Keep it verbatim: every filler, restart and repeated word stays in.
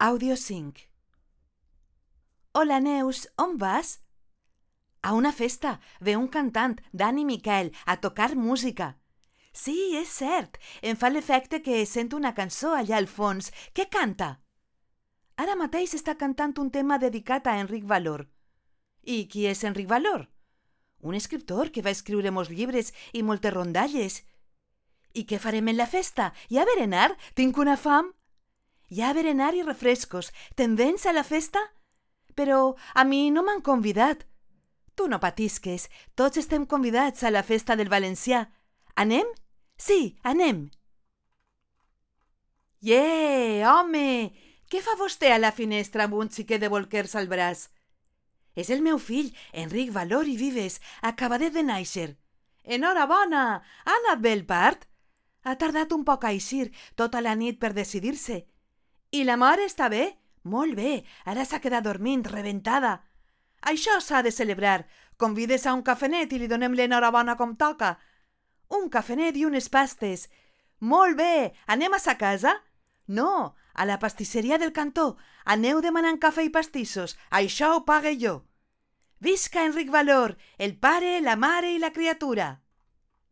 Audio cinc. Hola, Neus, on vas? A una festa. Ve un cantant, Dani Miquel, a tocar música. Sí, és cert. Em fa l'efecte que sento una cançó allà al fons. Què canta? Ara mateix està cantant un tema dedicat a Enric Valor. I qui és Enric Valor? Un escriptor que va escriure molts llibres i moltes rondalles. I què farem en la festa? Hi ha berenar? Tinc una fam. Hi ha berenar i refrescos. Te'n vens a la festa? Però a mi no m'han convidat. Tu no patisques. Tots estem convidats a la festa del valencià. Anem? Sí, anem. Yeah, home! Què fa vostè a la finestra amb un xiquet de bolquers al braç? És el meu fill, Enric Valor i Vives, acabadet de néixer. Enhorabona! Ha anat bé el part? Ha tardat un poc a eixir, tota la nit per decidir-se. I la mare està bé? Molt bé, ara s'ha quedat dormint, rebentada. Això s'ha de celebrar. Convides a un cafenet i li donem l'enhorabona com toca. Un cafenet i unes pastes. Molt bé, anem a sa casa? No, a la pastisseria del cantó. Aneu demanant cafè i pastissos. Això ho pague jo. Visca Enric Valor, el pare, la mare i la criatura.